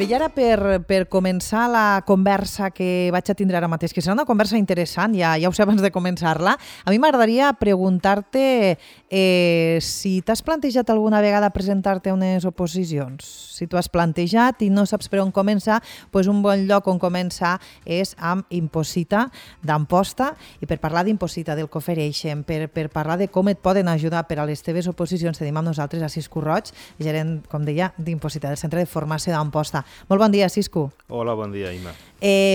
Bé, i ara per començar la conversa que vaig a tindre ara mateix, que serà una conversa interessant, ja ho sé abans de començar-la, a mi m'agradaria preguntar-te si t'has plantejat alguna vegada presentar-te a unes oposicions. Si t'ho has plantejat i no saps per on començar, doncs un bon lloc on començar és amb Imposita d'Amposta. I per parlar d'Imposita, del que ofereixen, per parlar de com et poden ajudar per a les teves oposicions, tenim amb nosaltres a Cisco Roig, gerent, com deia, d'Imposita, del Centre de Formació d'Amposta. Molt bon dia, Cisco. Hola, bon dia, Ima.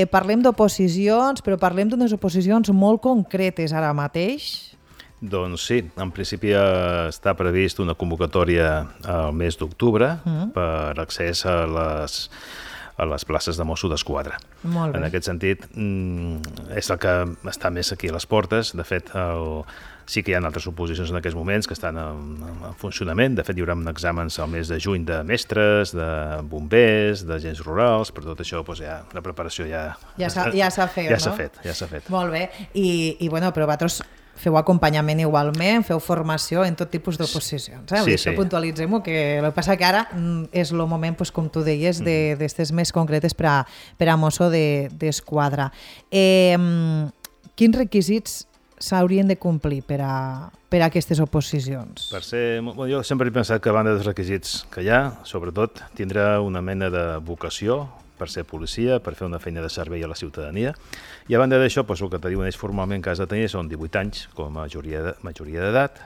Parlem d'oposicions, però parlem d'unes oposicions molt concretes ara mateix. Doncs sí, en principi està previst una convocatòria al mes d'octubre per accés a les places de Mosso d'Esquadra. Molt bé. En aquest sentit, és el que està més aquí a les portes. De fet, sí que hi ha altres oposicions en aquests moments que estan en funcionament. De fet, hi haurà exàmens al mes de juny de mestres, de bombers, d'agents rurals. Per tot això, doncs, la preparació ja s'ha fet, ja no? Ja s'ha fet. Molt bé. I bueno, però vosaltres feu acompanyament igualment, feu formació en tot tipus d'oposicions. Sí, això puntualitzem-ho, que el que passa que ara és el moment, com tu deies, d'estes més concretes per a Mosso d'Esquadra. Quins requisits s'haurien de complir per a aquestes oposicions? Jo sempre he pensat que a banda dels requisits que hi ha, sobretot, tindrà una mena de vocació per ser policia, per fer una feina de servei a la ciutadania. I a banda d'això, el que te diuen ells formalment que has de tenir són 18 anys com a majoria d'edat,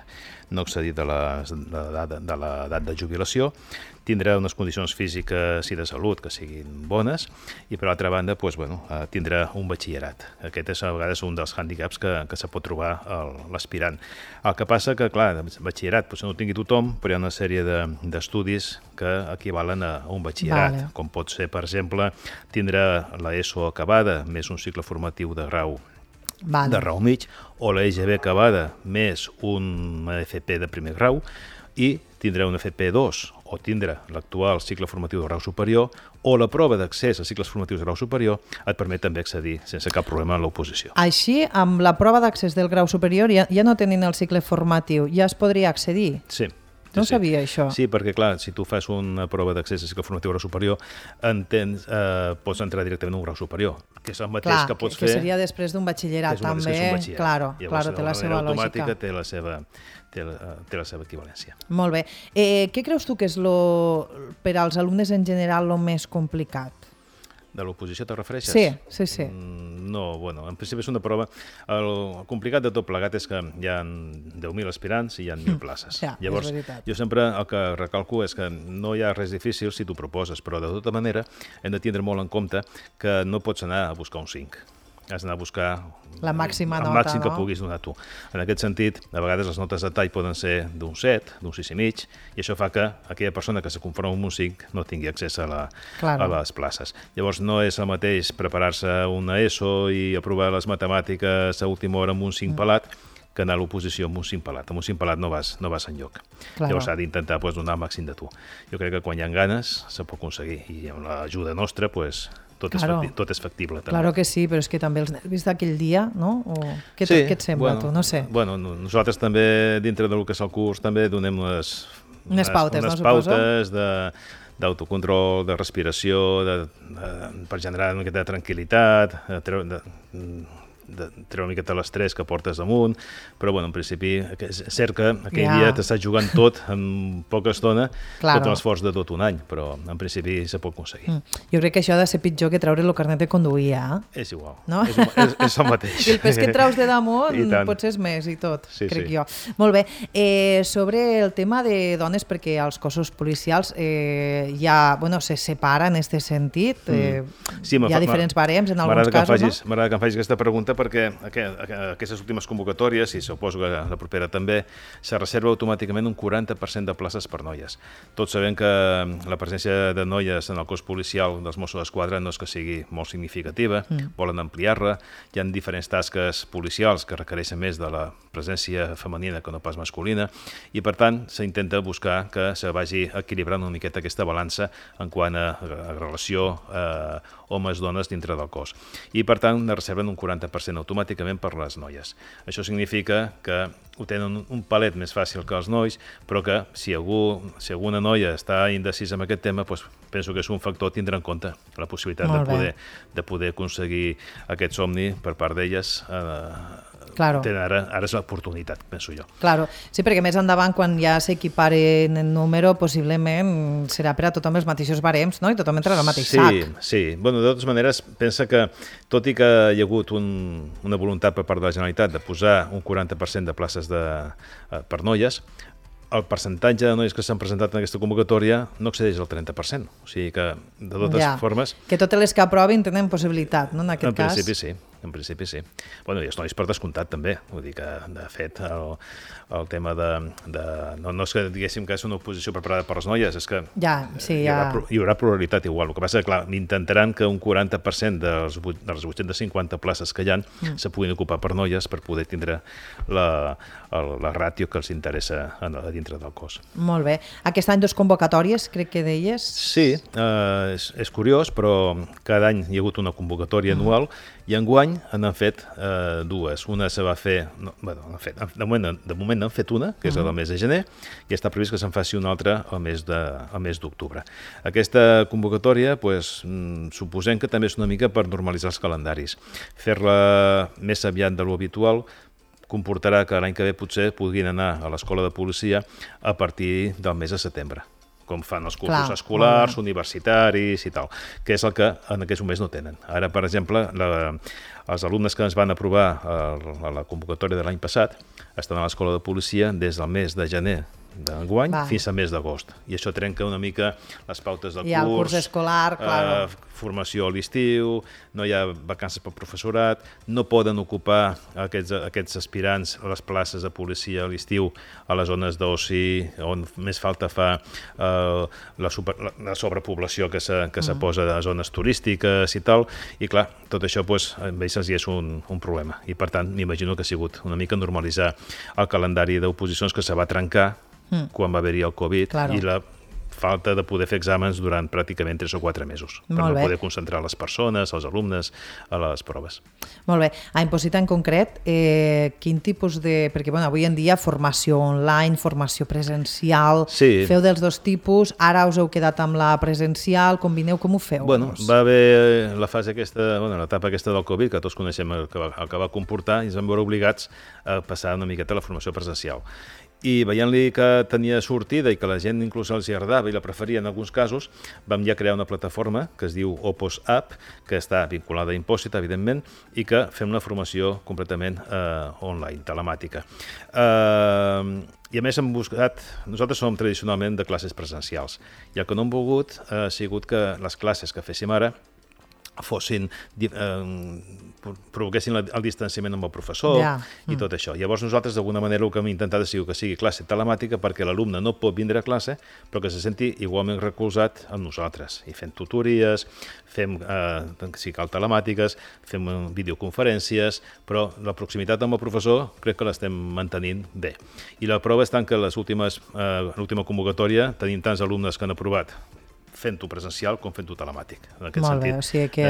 no excedir de l'edat de jubilació, tindrà unes condicions físiques i de salut que siguin bones i, per altra banda, tindrà un batxillerat. Aquest és a vegades un dels hàndicaps que se pot trobar l'aspirant. El que passa que, clar, batxillerat potser no ho tingui tothom, però hi ha una sèrie d'estudis que equivalen a un batxillerat, com pot ser, per exemple, tindrà l'ESO acabada més un cicle formatiu de grau mig, o la EGB acabada més un FP de primer grau, i tindrà un FP2 o tindrà l'actual cicle formatiu de grau superior, o la prova d'accés a cicles formatius de grau superior et permet també accedir sense cap problema en l'oposició. Així, amb la prova d'accés del grau superior, ja no tenint el cicle formatiu, ja es podria accedir? Sí. No sabia això. Sí, perquè clar, si tu fas una prova d'accés a cicle formatiu grau superior, pots entrar directament a un grau superior, que és el mateix que pots fer... Que seria després d'un batxillerat, també. Claro, té la seva lògica. Té la seva equivalència. Molt bé. Què creus tu que és per als alumnes en general el més complicat? De l'oposició te refereixes? Sí. No, en principi és una prova. El complicat de tot plegat és que hi ha 10.000 aspirants i hi ha 1.000 places. Llavors, jo sempre el que recalco és que no hi ha res difícil si tu proposes, però de tota manera hem de tindre molt en compte que no pots anar a buscar un 5. Has d'anar a buscar la màxima nota, el màxim que puguis donar tu. En aquest sentit, a vegades les notes de tall poden ser d'un 7, d'un 6,5, i això fa que aquella persona que se conforma amb un 5 no tingui accés a les places. Llavors no és el mateix preparar-se una ESO i aprovar les matemàtiques a última hora amb un 5 pelat que anar a l'oposició amb un 5 pelat. Amb un 5 pelat no vas enlloc. Llavors s'ha d'intentar donar el màxim de tu. Jo crec que quan hi ha ganes se pot aconseguir, i amb l'ajuda nostra tot és factible. També. Claro que sí, però és que també els nervis d'aquell dia, no? Què et sembla, tu? No sé. Nosaltres també, dintre del que és el curs, també donem unes pautes d'autocontrol, de respiració, per generar una miqueta de tranquil·litat, treure una miqueta l'estrès que portes damunt, però en principi és cert que aquell dia t'estàs jugant tot en poca estona, tot l'esforç de tot un any, però en principi se pot aconseguir. Jo crec que això ha de ser pitjor que treure el carnet de conduir, És igual, no? és el mateix. I el pes que et traus de damunt potser és més i tot, crec jo. Molt bé, sobre el tema de dones, perquè els cossos policials se separen en aquest sentit, hi ha diferents barems en alguns casos, no? M'agrada que em facis aquesta pregunta perquè aquestes últimes convocatòries, i suposo que la propera també, se reserva automàticament un 40% de places per noies. Tots sabem que la presència de noies en el cos policial dels Mossos d'Esquadra no és que sigui molt significativa, volen ampliar-la, hi ha diferents tasques policials que requereixen més de la presència femenina que no pas masculina, i per tant s'intenta buscar que se vagi equilibrant una miqueta aquesta balança en quant a relació homes-dones dintre del cos. I per tant reserven un 40% 30% automàticament per les noies. Això significa que ho tenen un palet més fàcil que els nois, però que si alguna noia està indecisa amb aquest tema, doncs penso que és un factor a tindre en compte, la possibilitat de poder aconseguir aquest somni per part d'elles. Claro. Ara és l'oportunitat, penso jo. Claro. Sí, perquè més endavant, quan ja s'equiparen en número, possiblement serà per a tothom els mateixos barems, no? I tothom entrarà al mateix sac. Sí. Bueno, de totes maneres, pensa que, tot i que hi ha hagut una voluntat per part de la Generalitat de posar un 40% de places per noies, el percentatge de noies que s'han presentat en aquesta convocatòria no excedeix el 30%. O sigui que, de totes formes... Que totes les que aprovin tenen possibilitat, no? En aquest cas. En principi sí. Bueno, i els nois per descomptat també. Vull dir que, de fet, el tema no és que diguéssim que és una oposició preparada per les noies, és que hi haurà pluralitat igual. El que passa és que, clar, intentaran que un 40% de les 850 places que hi ha se puguin ocupar per noies per poder tindre la ràtio que els interessa a dintre del cos. Molt bé. Aquest any 2 convocatòries, crec que deies? Sí, és curiós, però cada any hi ha hagut una convocatòria anual i enguany n'han fet dues. Una se va fer... De moment n'han fet una, que és el mes de gener, i està previst que se'n faci una altra al mes d'octubre. Aquesta convocatòria, suposem que també és una mica per normalitzar els calendaris. Fer-la més aviat de lo habitual comportarà que l'any que ve potser puguin anar a l'escola de policia a partir del mes de setembre, com fan els cursos escolars, universitaris i tal, que és el que en aquests moments no tenen. Ara, per exemple, els alumnes que ens van aprovar a la convocatòria de l'any passat estan a l'escola de policia des del mes de gener d'enguany fins al mes d'agost. I això trenca una mica les pautes del curs escolar, formació a l'estiu, no hi ha vacances pel professorat, no poden ocupar aquests aspirants a les places de policia a l'estiu a les zones d'oci, on més falta fa la sobrepoblació que se posa a zones turístiques i tal, i clar, tot això amb ells és un problema. I per tant, m'imagino que ha sigut una mica normalitzar el calendari d'oposicions que se va trencar quan va haver-hi el Covid i la falta de poder fer exàmens durant pràcticament 3 o 4 mesos per no poder concentrar les persones, els alumnes, a les proves. Molt bé. A Imposita en concret, quin tipus de... Perquè avui en dia formació online, formació presencial, feu dels dos tipus, ara us heu quedat amb la presencial, combineu, com ho feu? Bueno, va haver la fase aquesta, l'etapa aquesta del Covid, que tots coneixem el que va comportar, i ens vam veure obligats a passar una miqueta a la formació presencial. I veient-li que tenia sortida i que la gent inclús els hi agradava i la preferia en alguns casos, vam ja crear una plataforma que es diu Opos App, que està vinculada a Imposita, evidentment, i que fem una formació completament online, telemàtica. I a més hem buscat... Nosaltres som tradicionalment de classes presencials, i el que no hem volgut ha sigut que les classes que féssim ara provoquessin el distanciament amb el professor i tot això. Llavors nosaltres d'alguna manera el que hem intentat és que sigui classe telemàtica perquè l'alumne no pot vindre a classe però que se senti igualment recolzat amb nosaltres. I fem tutories, fem, si cal, telemàtiques, fem videoconferències, però la proximitat amb el professor crec que l'estem mantenint bé. I la prova és tant que l'última convocatòria tenim tants alumnes que han aprovat fent-ho presencial com fent-ho telemàtic. En aquest sentit, o sigui que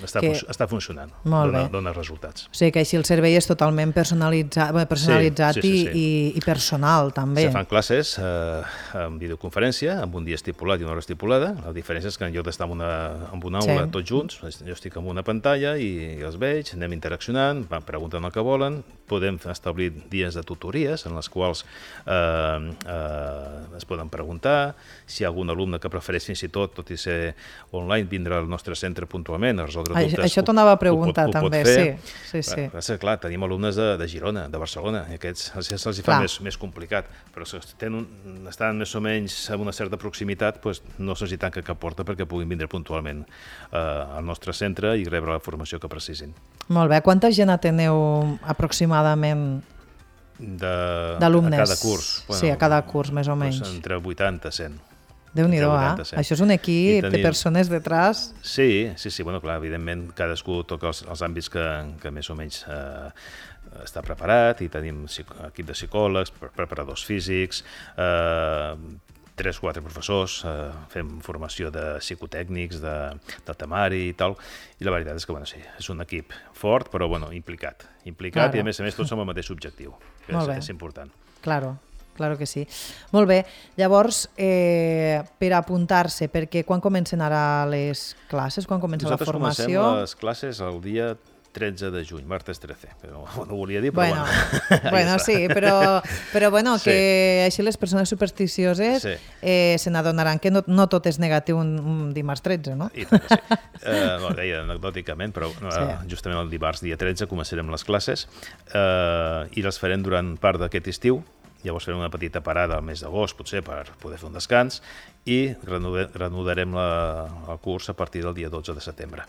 està funcionant, dona resultats. O sigui que així el servei és totalment personalitzat i personal, també. Se fan classes en videoconferència, amb un dia estipulat i una hora estipulada. La diferència és que en lloc d'estar en una aula tots junts, jo estic en una pantalla i els veig, anem interaccionant, van preguntant el que volen, podem establir dies de tutories en les quals es poden preguntar, si hi ha algun alumne que prefereix fins i tot i ser online, vindre al nostre centre puntualment a resoldre dubtes. Això t'ho anava a preguntar també, sí. Clar, tenim alumnes de Girona, de Barcelona, i aquests se'ls fa més complicat, però si estan més o menys a una certa proximitat, no se'ls tanca cap porta perquè puguin vindre puntualment al nostre centre i rebre la formació que precisin. Molt bé, quanta gent ateneu aproximadament d'alumnes? A cada curs? Sí, a cada curs, més o menys. Entre 80 i 100. Déu-n'hi-do, Això és un equip de persones detrás. Sí, clar, evidentment cadascú toca els àmbits que més o menys està preparat, i tenim equip de psicòlegs, preparadors físics, 3-4 professors, fem formació de psicotècnics, de temari i tal, i la veritat és que, sí, és un equip fort, però, implicat, claro. I a més tots amb el mateix objectiu, que és important. Claro que sí. Molt bé, llavors, per apuntar-se, perquè quan comencen ara les classes, quan comença la formació? Nosaltres comencem les classes el dia 13 de juny, martes 13, però no ho volia dir, però sí, però que així les persones supersticioses se n'adonaran que no tot és negatiu un dimarts 13, no? I tant que sí. Deia anecdòticament, però justament el dimarts dia 13 començarem les classes i les farem durant part d'aquest estiu. Llavors farem una petita parada al mes d'agost, potser, per poder fer un descans, i reanudarem el curs a partir del dia 12 de setembre.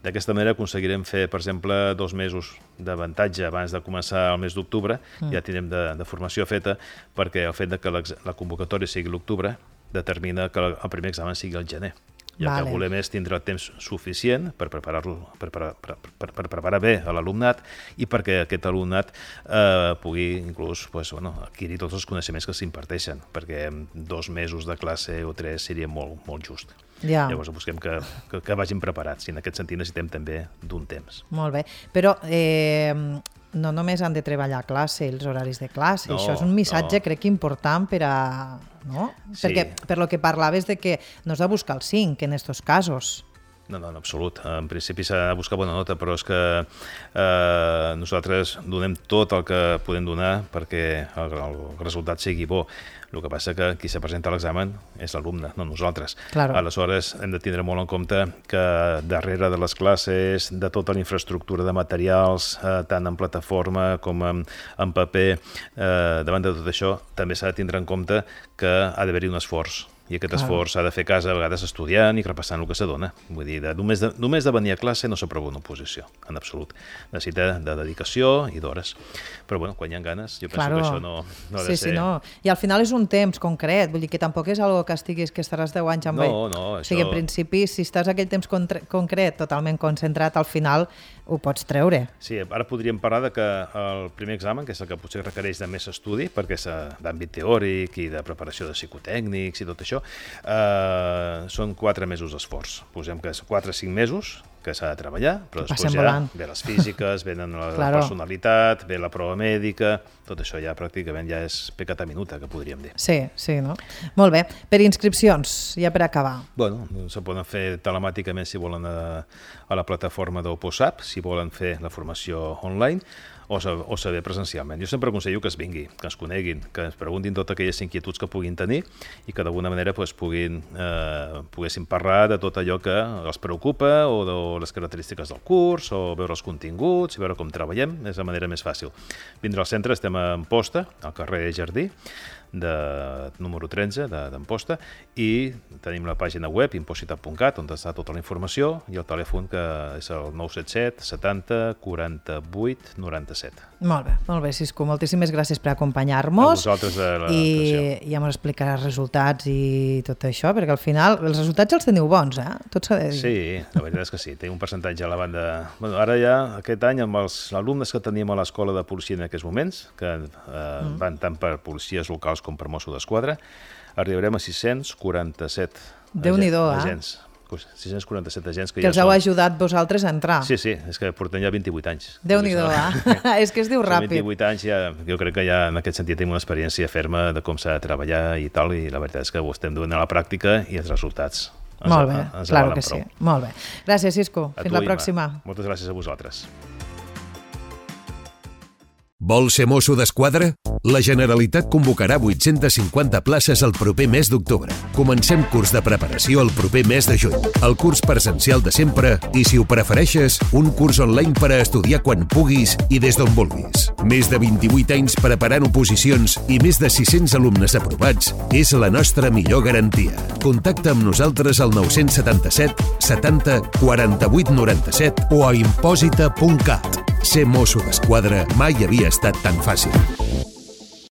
D'aquesta manera aconseguirem fer, per exemple, 2 mesos d'avantatge abans de començar el mes d'octubre, ja tindrem de formació feta, perquè el fet que la convocatòria sigui l'octubre determina que el primer examen sigui al gener. Ja que volem és tindre el temps suficient per preparar bé a l'alumnat i perquè aquest alumnat pugui inclús adquirir tots els coneixements que s'imparteixen, perquè 2 mesos de classe o 3 seria molt just. Llavors busquem que vagin preparats i en aquest sentit necessitem també d'un temps. Molt bé, però no només han de treballar a classe, els horaris de classe, això és un missatge crec important per a... No? Perquè per lo que parlaves de que no has de buscar el 5 en aquests casos. No, en absolut. En principi s'ha de buscar bona nota, però és que nosaltres donem tot el que podem donar perquè el resultat sigui bo. El que passa que qui se presenta a l'examen és l'alumne, no nosaltres. Aleshores, hem de tindre molt en compte que darrere de les classes, de tota la infraestructura de materials, tant en plataforma com en paper, davant de tot això, també s'ha de tindre en compte que ha d'haver-hi un esforç. I aquest esforç s'ha de fer a casa, a vegades estudiant i repassant el que s'adona. Vull dir, només de venir a classe no s'aprova una oposició, en absolut. Necessita de dedicació i d'hores. Però quan hi ha ganes, jo penso que això no ha de ser... I al final és un temps concret, vull dir que tampoc és algo que estaràs 10 anys amb ell. No. O sigui, en principi, si estàs aquell temps concret totalment concentrat, al final ho pots treure. Sí, ara podríem parlar de que el primer examen, que és el que potser requereix de més estudi, perquè és d'àmbit teòric i de preparació de psicotècnics i tot això, són 4 mesos d'esforç. Posem que és 4 o 5 mesos que s'ha de treballar, però després ja ve les físiques, venen la personalitat, ve la prova mèdica, tot això ja pràcticament ja és pecata minuta, que podríem dir. Sí, no? Molt bé. Per inscripcions, ja per acabar. Se poden fer telemàticament si volen a la plataforma d'Oposap, si volen fer la formació online, o saber presencialment. Jo sempre aconsello que es vingui, que ens coneguin, que ens preguntin totes aquelles inquietuds que puguin tenir i que d'alguna manera poguessin parlar de tot allò que els preocupa o de les característiques del curs o veure els continguts i veure com treballem, és la manera més fàcil. Vindre al centre, estem a Amposta, al carrer Jardí, número 13 d'Amposta, i tenim la pàgina web impositat.cat on està tota la informació i el telèfon que és el 977 70 48 97. Molt bé, Cisco, moltíssimes gràcies per acompanyar-nos. A vosaltres de l'atenció. I ja ens explicaràs resultats i tot això, perquè al final els resultats els teniu bons, tot s'ha de dir. Sí, la veritat és que sí, tenim un percentatge a la banda. Ara ja, aquest any, amb els alumnes que teníem a l'escola de policia en aquests moments, que van tant per policies locals com per Mossos d'Esquadra, arribarem a 647 agents. 647 agents que els heu ajudat vosaltres a entrar. Sí, és que portem ja 28 anys. Déu-n'hi-do, és que es diu ràpid. 28 anys, jo crec que ja en aquest sentit tenim una experiència ferma de com s'ha de treballar i tal, i la veritat és que ho estem duent a la pràctica i els resultats ens avalen prou. Claro que sí. Molt bé. Gràcies, Cisco. Fins la pròxima. Moltes gràcies a vosaltres. Vols ser mosso d'esquadra? La Generalitat convocarà 850 places el proper mes d'octubre. Comencem curs de preparació el proper mes de juny. El curs presencial de sempre i, si ho prefereixes, un curs online per a estudiar quan puguis i des d'on vulguis. Més de 28 anys preparant oposicions i més de 600 alumnes aprovats és la nostra millor garantia. Contacta amb nosaltres al 977 70 48 97 o a imposita.cat. Ser mosso d'esquadra mai havia estat tan fàcil.